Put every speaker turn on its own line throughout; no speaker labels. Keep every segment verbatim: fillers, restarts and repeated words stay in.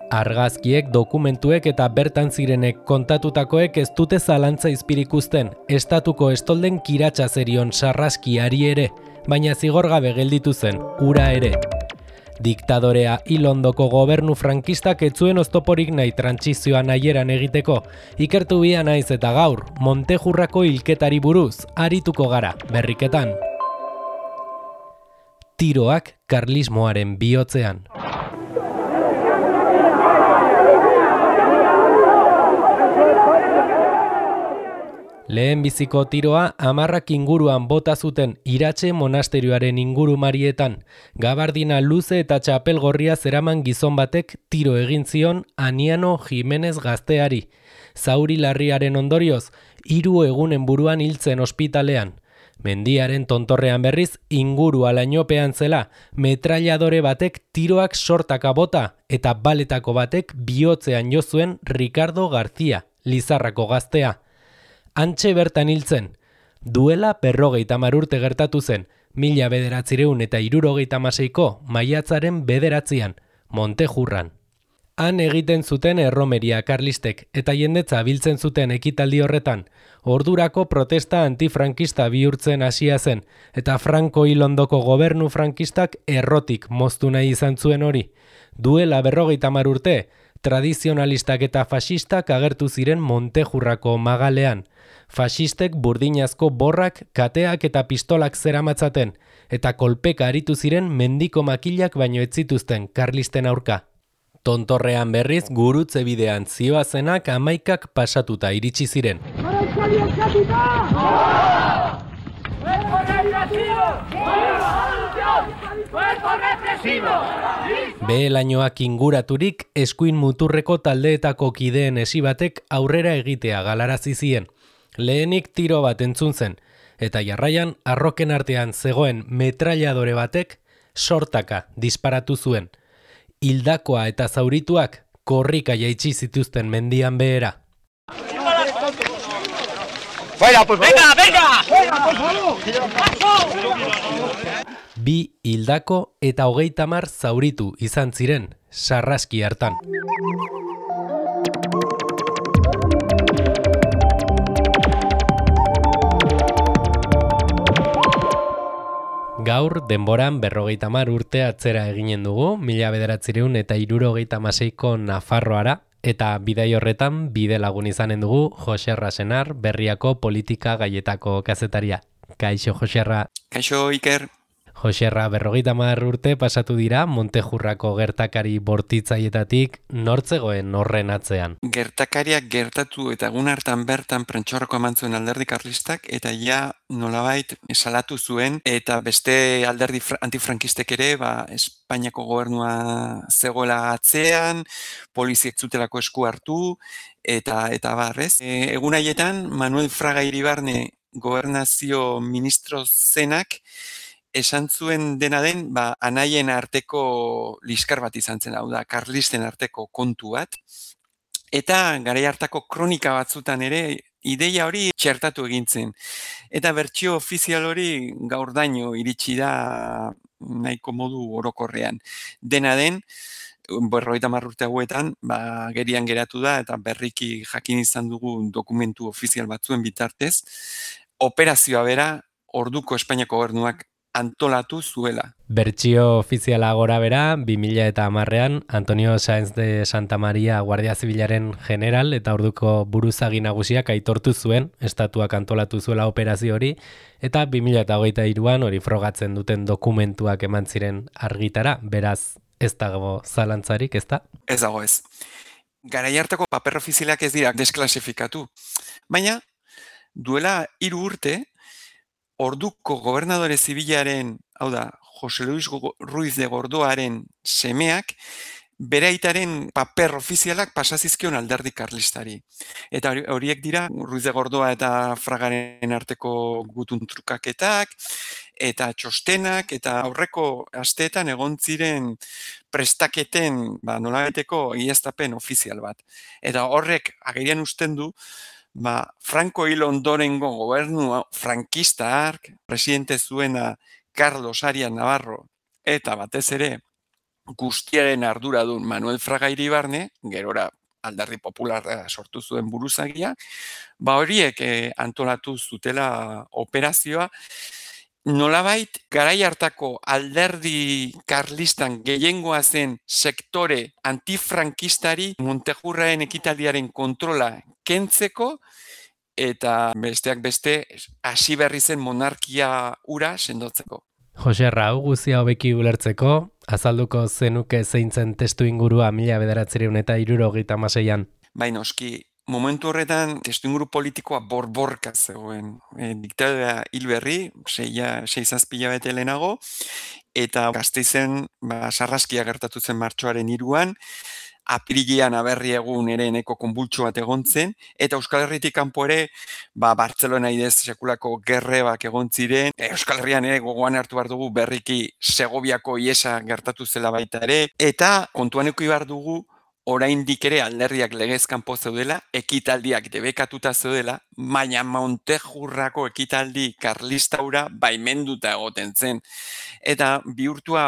Argazkiek, dokumentuek eta bertan zirenek kontatutakoek ez dute zalantza izpirik uzten, estatuko estolden kiratsa zerion sarraskiari ere, baina zigorgabe gelditu zen, ura ere. Diktadorea hil ondoko gobernu frankistak ez zuen oztoporik nahi trantsizioa nahieran egiteko, ikertu bia naiz eta gaur, Montejurrako hilketari buruz, arituko gara, berriketan. Tiroak karlismoaren bihotzean. Lehen biziko tiroa hamarrak inguruan bota zuten Iratxe monasterioaren inguru marietan. Gabardina luze eta txapel gorria zeraman gizon batek tiro egin zion Aniano Jimenez gazteari. Zauri larriaren ondorioz, hiru egunen buruan hiltzen ospitalean. Mendiaren tontorrean berriz inguru alainopean zela, metralladore batek tiroak sortaka bota eta baletako batek bihotzean jo zuen Ricardo García, Lizarrako gaztea. Antxe bertan hiltzen. Duela berrogeita hamar urte gertatu zen, mila bederatzireun eta hirurogeita hamaseiko maiatzaren bederatzian, Montejurran. Han egiten zuten erromeria karlistek eta jendetza biltzen zuten ekitaldi horretan, ordurako protesta antifrankista bihurtzen hasia zen, eta Franco hil ondoko gobernu frankistak errotik moztu nahi izan zuen hori. Duela berrogeita hamar urte, tradizionalistak eta fasistak agertu ziren Montejurrako magalean. Fasistek burdinazko borrak, kateak eta pistolak zeramatzaten, eta kolpeka aritu ziren mendiko makilak baino ez zituzten karlisten aurka. Tontorrean berriz gurutze bidean zioazenak hamaikak pasatuta iritsi ziren. Behelainoak inguraturik eskuin muturreko taldeetako kideen esi batek aurrera egitea galarazi zien. Lehenik tiro bat entzun zen, eta jarraian arroken artean zegoen metralladore batek sortaka disparatu zuen. Hildakoa eta zaurituak korrika jaitsi zituzten mendian behera.
¡Fuera, por favor! ¡Venga, venga!
Bi hildako eta hogeita hamar zauritu izan ziren sarraski hartan. Gaur, denboran berrogeita hamar urte atzera eginen dugu, mila bederatzireun eta hirurogeita hamaseiko Nafarroara, eta bidai horretan bide lagun izanen dugu Joserra Senar, Berriako politika gaietako kazetaria. Kaixo, Joserra.
Kaixo, Iker.
Joserra, berrogeita hamar urte pasatu dira Montejurrako gertakari bortitzaietatik nortzegoen horren atzean.
Gertakariak gertatu eta egun hartan bertan prentxorroko eman zuen alderdi karlistak eta ja nolabait salatu zuen eta beste alderdi antifrankistek ere ba, Espainiako gobernua zegoela atzean, poliziek zutelako esku hartu eta eta barrez. E, egun haietan Manuel Fraga Iribarne gobernazio ministro zenak esan zuen dena den, ba, anaien arteko liskar bat izan zen, hau da, karlisten arteko kontu bat. Eta garai hartako kronika batzutan ere, ideia hori txertatu egintzen. Eta bertsio ofizial hori gaurdaino iritsi da nahiko modu orokorrean. Dena den, berrogeita hamar urte hauetan, ba, gerian geratu da, eta berriki jakin izan dugu dokumentu ofizial batzuen bitartez, operazioa bera, orduko Espainiako gobernuak antolatu zuela.
Bertsio ofiziala gora bera, bi mila hamarrean, Antonio Sáenz de Santa Maria Guardia Zibilaren general eta orduko buruzagi nagusiak aitortu zuen, estatuak antolatu zuela operazio hori, eta bi mila hogeita hiruan hori frogatzen duten dokumentuak eman ziren argitara, beraz ez dago zalantzarik, ez da?
Ez dago ez. Garai hartako paper ofizialak ez dira desklasifikatu, baina duela hiru urte, orduko gobernadore zibilaren, hau da, Jose Luis Ruiz de Gordoaren semeak, bere aitaren paper ofizialak pasazizkion alderdi karlistari. Eta horiek dira, Ruiz de Gordoa eta Fragaren arteko gutun trukaketak, eta txostenak, eta aurreko asteetan egon ziren prestaketen, ba, nolabaiteko iaztapen ofizial bat. Eta horrek agerian usten du, ba, Franco hil ondorengo gobernu frankista hark, presidente zuena Carlos Arias Navarro, eta batez ere guztiaren arduradun Manuel Fraga Iribarne, gerora Alderdi Popularra sortu zuen buruzagia, ba horiek eh, antolatu zutela operazioa, nolabait garai hartako alderdi karlistan gehiengoa zen sektore antifrankistari Montejurraen ekitaldiaren kontrola kentzeko eta besteak beste hasi berri zen monarkia ura sendotzeko.
Jose Rau guzia hobeki ulertzeko, azalduko zenuke zeintzen testu ingurua mila bederatziehun eta hirurogeita hamaseian.
Bai noski, momentu horretan testu inguru politikoa borborka zegoen. E, diktadura hil berri, seia, sei zazpila bete lehenago, eta Gasteizen ba, sarraskia gertatu zen martxoaren hiruan, apirilean aberri egun ere eneko konbultxo bat egon zen, eta Euskal Herritik kanpo ere, ba, Bartzelona idez sekulako gerrebak egon ziren, Euskal Herrian ere gogoan hartu behar dugu berriki Segoviako iesa gertatu zela baita ere, eta kontuan eduki behar dugu oraindik ere alderdiak legez kanpo zeudela, ekitaldiak debekatuta zeudela, baina Montejurrako ekitaldi karlistaura baimenduta egoten zen. Eta bihurtua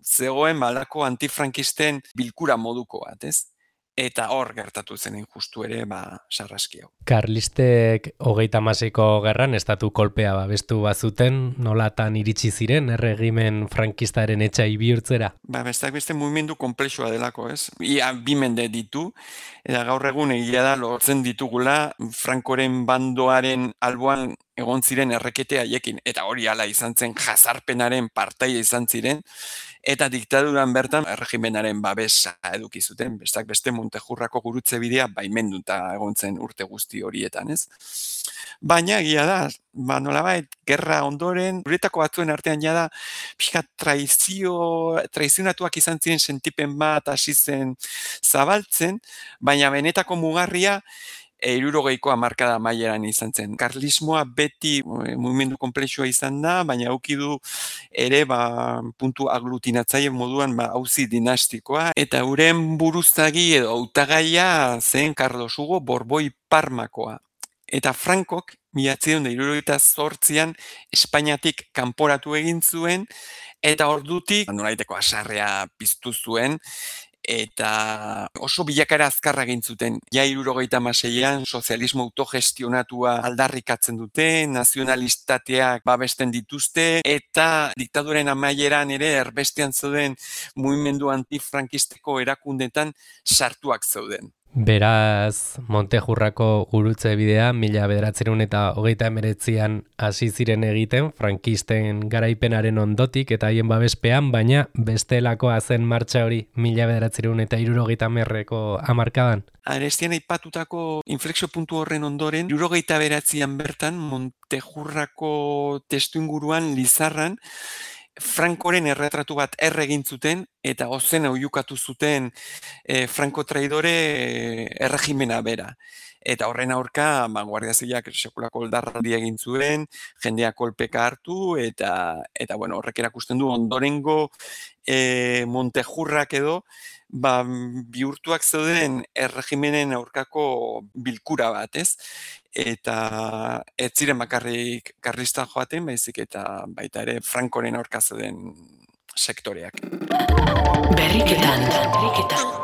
zegoen balako antifrankisten bilkura moduko bat, ez? Eta hor gertatu zen justu ere, ba, sarraski hau.
Karlistek hogeita hamaseiko gerran estatu kolpea babestu bazuten, nolatan iritsi ziren erregimen frankistaren etxai bihurtzera?
Ba, besteak beste mugimendu konplexua delako, ez? Ia bi mende ditu, eta gaur egun egia da lortzen ditugula Frankoren bandoaren alboan egon ziren errekete haiekin, eta hori hala izan zen jazarpenaren partaia izan ziren, eta diktaduran bertan erregimenaren babesa eduki zuten, bestak beste Montejurrako gurutze bidea baimenduta egon zen urte guzti horietan, ez? Baina egia da, ba nolabait gerra ondoren, guretako batzuen artean jada pixka traizio, traizionatuak izan ziren sentipen bat hasi zen zabaltzen, baina benetako mugarria hirurogeiko hamarkada amaieran izan zen. Karlismoa beti e, mugimendu konplexua izan da, baina auki du ere ba, puntu aglutinatzaile moduan ba, auzi dinastikoa. Eta euren buruzagi edo hautagaia zen Carlos Hugo Borboi Parmakoa. Eta Frankok, mila bederatziehun eta hirurogeita zortzian Espainiatik kanporatu egin zuen, eta ordutik nolaiteko hasarrea piztu zuen, eta oso bilakara azkarra egin zuten. Ja hirurogeita hamaseian sozialismo autogestionatua aldarrikatzen dute, nazionalistateak babesten dituzte, eta diktaduren amaieran ere erbestean zeuden mugimendu antifrankisteko erakundetan sartuak zeuden.
Beraz, Montejurrako gurutze bidea mila bederatziehun eta hogeita hemeretzian hasi ziren egiten frankisten garaipenaren ondotik eta haien babespean, baina bestelakoa zen martxa hori mila bederatziehun eta hirurogeita hamarreko hamarkadan.
Arestian aipatutako inflexio puntu horren ondoren, hirurogeita bederatzian bertan Montejurrako testuinguruan Lizarran Frankoren erretratu bat erre egin zuten eta ozen oiukatu zuten e, Franco traidore e, erregimena bera. Eta horren aurka, ba, Guardia Zibilak sekulako oldarraldia egin zuen, jendea kolpeka hartu, eta, eta bueno, horrek erakusten du ondorengo e, Montejurrak edo, ba, bihurtuak zeuden erregimenen aurkako bilkura bat, ez? Eta ez ziren bakarrik karlistan joaten, baizik eta baita ere Frankoren aurka zeuden sektoreak.
Berriketan, berriketan.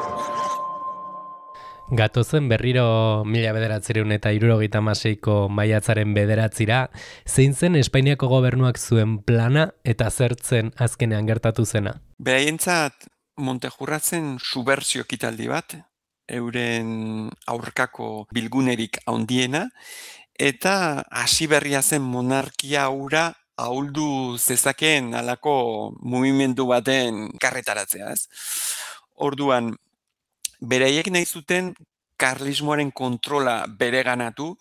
Gatozen berriro mila bederatziehun eta hirurogeita hamaseiko maiatzaren bederatzira, zein zen Espainiako gobernuak zuen plana eta zertzen azkenean gertatu zena?
Beraientzat Montejurra zen subbertsio ekitaldi bat, euren aurkako bilgunerik handiena, eta hasi berria zen monarkia hura ahuldu zezakeen halako mugimendu baten karretaratzea, ez? Orduan, beraiek nahi zuten karlismoaren kontrola bereganatu,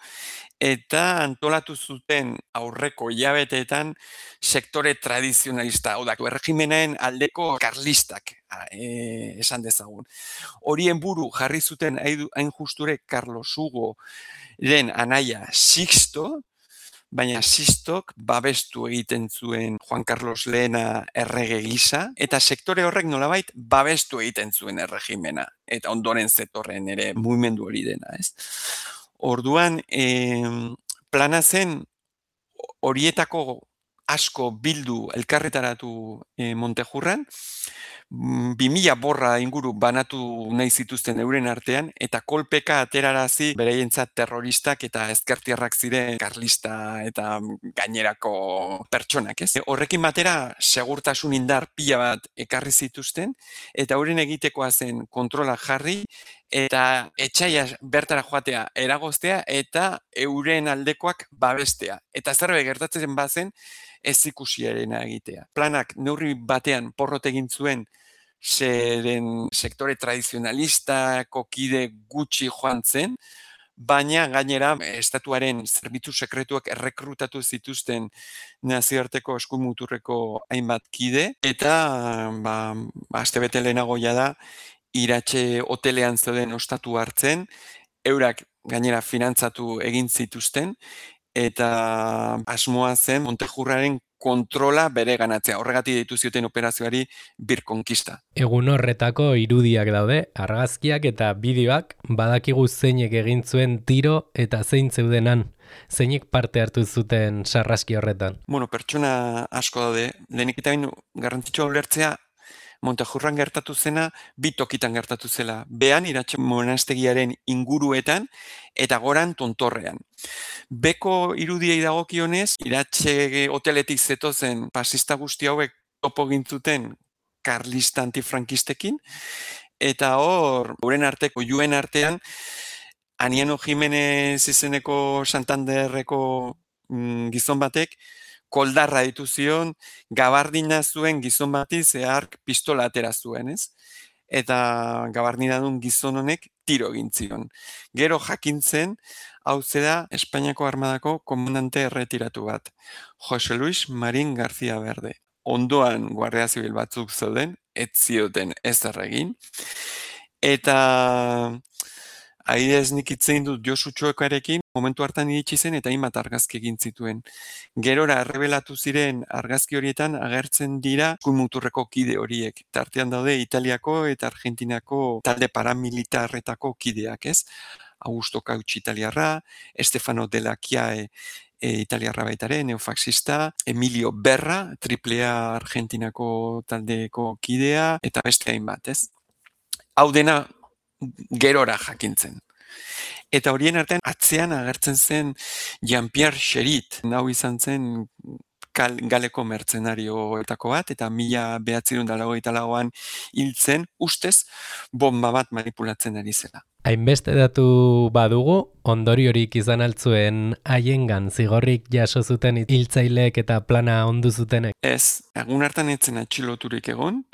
eta antolatu zuten aurreko hilabeteetan sektore tradizionalista, hau da, erregimenaren aldeko karlistak, e, esan dezagun. Horien buru jarri zuten hain justure Carlos Hugo den anaia Sixto, baina Sixtok babestu egiten zuen Juan Carlos lehena errege gisa, eta sektore horrek nolabait babestu egiten zuen erregimena, eta ondoren zetorren ere mugimendu hori dena, ez? Orduan, eh, plana zen horietako asko bildu elkarretaratu eh, Montejurran, bi mila borra inguru banatu nahi zituzten euren artean, eta kolpeka aterarazi bereientzat terroristak eta ezkertiarrak ziren karlista eta gainerako pertsonak, ez? Horrekin batera segurtasun indar pila bat ekarri zituzten, eta euren egitekoa zen kontrola jarri, eta etxaia bertara joatea eragoztea, eta euren aldekoak babestea. Eta zerbait gertatzen bazen, ez ikusiarena egitea. Planak neurri batean porrot egin zuen zeren sektore tradizionalistako kide gutxi joan zen, baina gainera estatuaren zerbitzu sekretuak errekrutatu zituzten nazioarteko eskumuturreko hainbat kide, eta ba, astebete lehenago da Iratxe hotelean zeuden ostatu hartzen, eurak gainera finantzatu egin zituzten, eta asmoa zen Montejurraren kontrola bere ganatzea. Horregatik deitu zioten operazioari birkonkista.
Egun horretako irudiak daude, argazkiak eta bideoak, badakigu zeinek egin zuen tiro eta zein zeudenan. Zeinek parte hartu zuten sarraski horretan?
Bueno, pertsona asko daude. Lehenik eta baino garrantzitsua ulertzea, Montejurran gertatu zena, bi tokitan gertatu zela. Behan, Iratxe monastegiaren inguruetan, eta goran tontorrean. Beko irudiei dagokionez, Iratxe hoteletik zetozen pasista guzti hauek topo gintzuten karlista antifrankistekin, eta hor, euren arteko, juen artean, Aniano Jimenez izeneko Santanderreko mm, gizon batek, koldarra ditu zion, gabardina zuen gizon bati zehark pistola atera zuen, ez? Eta gabardina duen gizon honek tiro egin zion. Gero jakintzen, hau zera Espainiako Armadako komandante erretiratu bat, Jose Luis Marín García Verde. Ondoan Guardia Zibil batzuk zeuden, ez zioten ezer egin. Eta adibidez nik hitzein dut Josu Txoekarekin, momentu hartan iritsi zen eta hainbat argazki egin zituen. Gerora errebelatu ziren argazki horietan agertzen dira muturreko kide horiek. Tartean daude Italiako eta Argentinako talde paramilitarretako kideak, ez? Augusto Cauchi italiarra, Stefano Della Chiae e, italiarra baitare, neofaxista, Emilio Berra, triplea Argentinako taldeko kidea, eta beste hainbat, ez? Hau dena gerora jakintzen. Eta horien artean atzean agertzen zen Jean-Pierre Cherit, hau izan zen galeko mertzenarioetako bat, eta mila behatzirun dalagoita lauan hiltzen, ustez, bomba bat manipulatzen ari zela.
Hainbeste datu badugu, ondoriorik izan altzuen haiengan zigorrik jaso zuten hiltzaileek eta plana ondu zutenek?
Ez, egun hartan etzen atxiloturik egon,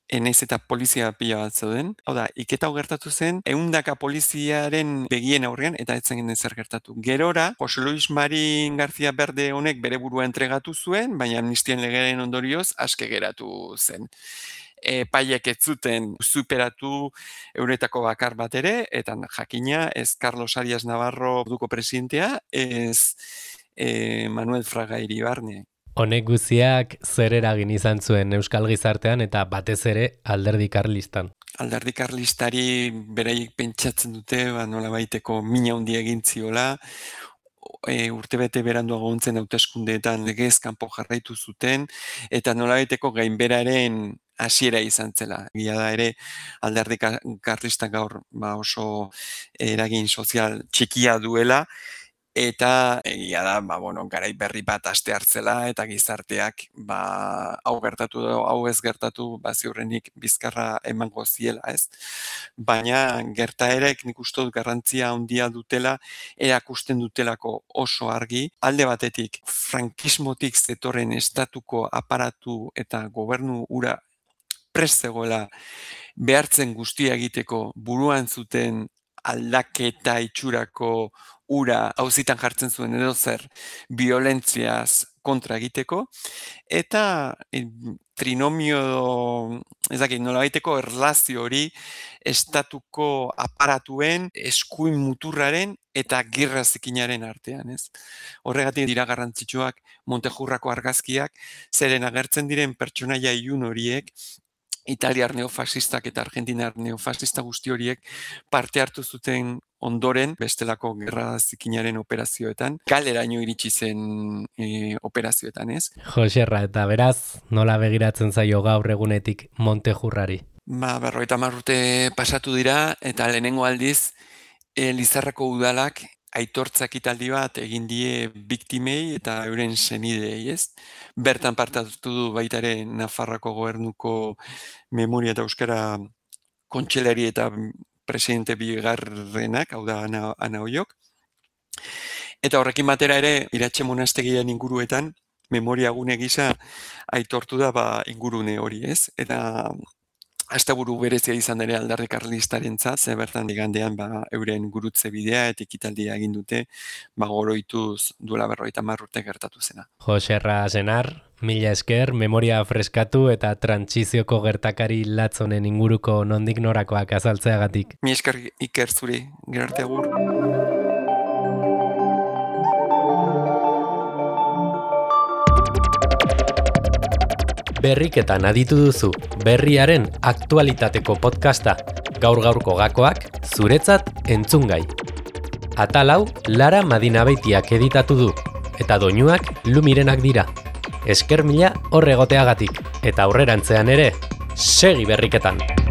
enaiz eta polizia pila bat zeuden. Hau da, iketa hau gertatu zen, ehundaka poliziaren begien aurrean, eta etzen ginen zer gertatu. Gerora, Jose Luis Marín García Verde honek bere burua entregatu zuen, baina amnistian legearen ondorioz aske geratu zen. E, paiek ez zuten superatu euretako bakar bat ere, eta jakina ez Carlos Arias Navarro duko presidentea, ez e, Manuel Fraga Iribarne.
Honek guziak zer eragin izan zuen Euskal Gizartean eta batez ere alderdi karlistan?
Alderdi karlistari beraiek pentsatzen dute, ba, nola baiteko mina handia egin ziola, e, urtebete beranduago ontzen hauteskundeetan legez kanpo jarraitu zuten, eta nola baiteko gainberaren hasiera izan zela. Egia da ere, alderdi karlistak gaur ba, oso eragin sozial txikia duela, eta egia da, ba, bueno, garai berri bat aste hartzela, eta gizarteak ba, hau gertatu edo hau ez gertatu, ba, ziurrenik bizkarra emango ziela, ez? Baina gertaerek nik uste dut garrantzia handia dutela, erakusten dutelako oso argi, alde batetik frankismotik zetorren estatuko aparatu eta gobernu ura prest zegoela behartzen guztia egiteko buruan zuten aldaketa itxurako ura auzitan jartzen zuen edo zer violentziaz kontra egiteko, eta e, trinomio, ez dakit, nola baiteko erlazio hori estatuko aparatuen eskuin muturraren eta gerra zikinaren artean, ez? Horregatik dira garrantzitsuak Montejurrako argazkiak, zeren agertzen diren pertsonaia ilun horiek, Italiar neofasistak eta Argentinar neofasista guzti horiek parte hartu zuten ondoren, bestelako gerra zikinaren operazioetan, kaleraino iritsi zen e, operazioetan, ez?
Joserra, eta beraz, nola begiratzen zaio gaur egunetik Montejurrari?
Ba, berrogeita hamar urte pasatu dira, eta lehenengo aldiz, e, Lizarrako udalak aitortza ekitaldi bat egin die biktimei eta euren senidei, ez? Bertan parte hartu du baita ere Nafarroako gobernuko memoria eta euskara kontseilari eta presidente bigarrenak, hau da Ana, Ana Oiok. Eta horrekin batera ere, Iratxe monastegian inguruetan, memoria gune gisa aitortu da ba, ingurune hori, ez? Eta asteburu berezia izan ere alderdi karlistarentzat, ze bertan igandean ba, euren gurutze bidea eta ekitaldia egin dute, ba, goroituz duela berrogeita hamar urte gertatu zena.
Joserra Senar, mila esker, memoria freskatu eta trantsizioko gertakari latzonen inguruko nondik norakoak azaltzeagatik.
Mi esker Iker zuri, gero arte agur.
Berriketan aditu duzu, berriaren aktualitateko podcasta, gaur-gaurko gakoak, zuretzat entzungai. Atal hau, Lara Madinabeitiak editatu du, eta doinuak Lumirenak dira. Esker mila hor egoteagatik, eta aurrerantzean ere, segi berriketan!